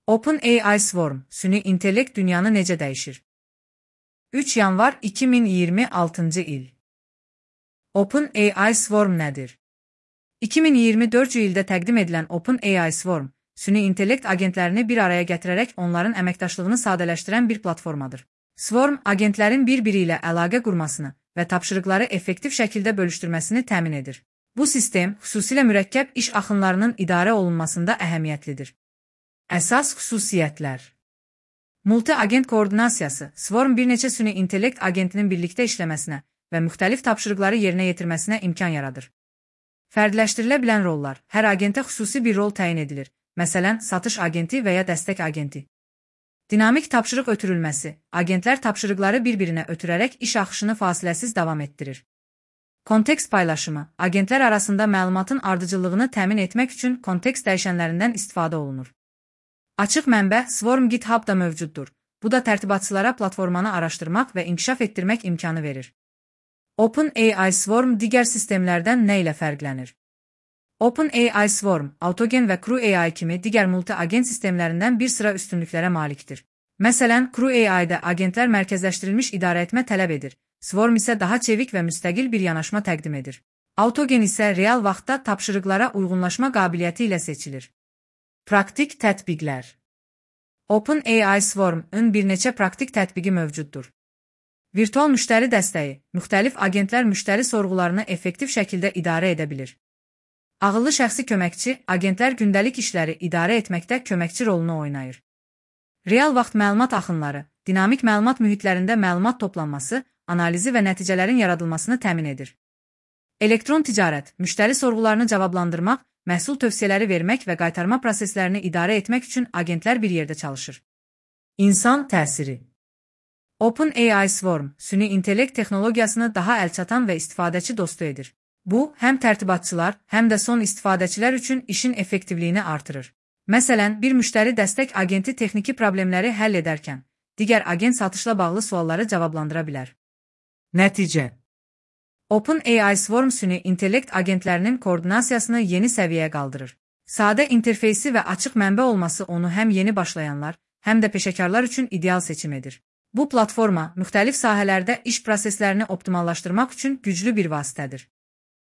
OpenAI Swarm, süni intellekt dünyanı necə dəyişir? 3 yanvar 2026 il. OpenAI Swarm nədir? 2024 ildə təqdim edilən OpenAI Swarm, süni intellekt agentlərini bir araya gətirərək onların əməkdaşlığını sadələşdirən bir platformadır. Swarm, agentlərin bir-biri ilə əlaqə qurmasını və tapşırıqları effektiv şəkildə bölüşdürməsini təmin edir. Bu sistem, xüsusilə mürəkkəb iş axınlarının idarə olunmasında əhəmiyyətlidir. Əsas xüsusiyyətlər. Multi-agent koordinasiyası, Swarm bir neçə süni intellekt agentinin birlikdə işləməsinə və müxtəlif tapşırıqları yerinə yetirməsinə imkan yaradır. Fərdləşdirilə bilən rollar, hər agentə xüsusi bir rol təyin edilir, məsələn, satış agenti və ya dəstək agenti. Dinamik tapşırıq ötürülməsi, agentlər tapşırıqları bir-birinə ötürərək iş axışını fasiləsiz davam etdirir. Kontekst paylaşımı, agentlər arasında məlumatın ardıcıllığını təmin etmək üçün kontekst dəyişənlərindən istifadə olunur. Açıq mənbə Swarm GitHub-da mövcuddur. Bu da tərtibatçılara platformanı araşdırmaq və inkişaf etdirmək imkanı verir. OpenAI Swarm digər sistemlərdən nə ilə fərqlənir? OpenAI Swarm, Autogen və CrewAI kimi digər multi-agent sistemlərindən bir sıra üstünlüklərə malikdir. Məsələn, CrewAI-də agentlər mərkəzləşdirilmiş idarəetmə tələb edir, Swarm isə daha çevik və müstəqil bir yanaşma təqdim edir. Autogen isə real vaxtda tapşırıqlara uyğunlaşma qabiliyyəti ilə seçilir. Praktik tətbiqlər. OpenAI Swarm-ın bir neçə praktik tətbiqi mövcuddur. Virtual müştəri dəstəyi, müxtəlif agentlər müştəri sorğularını effektiv şəkildə idarə edə bilir. Ağıllı şəxsi köməkçi, agentlər gündəlik işləri idarə etməkdə köməkçi rolunu oynayır. Real vaxt məlumat axınları, dinamik məlumat mühitlərində məlumat toplanması, analizi və nəticələrin yaradılmasını təmin edir. Elektron ticarət, müştəri sorğularını cavablandırmaq, məhsul tövsiyələri vermək və qaytarma proseslərini idarə etmək üçün agentlər bir yerdə çalışır. İnsan təsiri. OpenAI Swarm, süni intellekt texnologiyasını daha əlçatan və istifadəçi dostu edir. Bu, həm tərtibatçılar, həm də son istifadəçilər üçün işin effektivliyini artırır. Məsələn, bir müştəri dəstək agenti texniki problemləri həll edərkən, digər agent satışla bağlı sualları cavablandıra bilər. Nəticə. OpenAI Swarm süni intellekt agentlərinin koordinasiyasını yeni səviyyəyə qaldırır. Sadə interfeysi və açıq mənbə olması onu həm yeni başlayanlar, həm də peşəkarlar üçün ideal seçim edir. Bu platforma müxtəlif sahələrdə iş proseslərini optimallaşdırmaq üçün güclü bir vasitədir.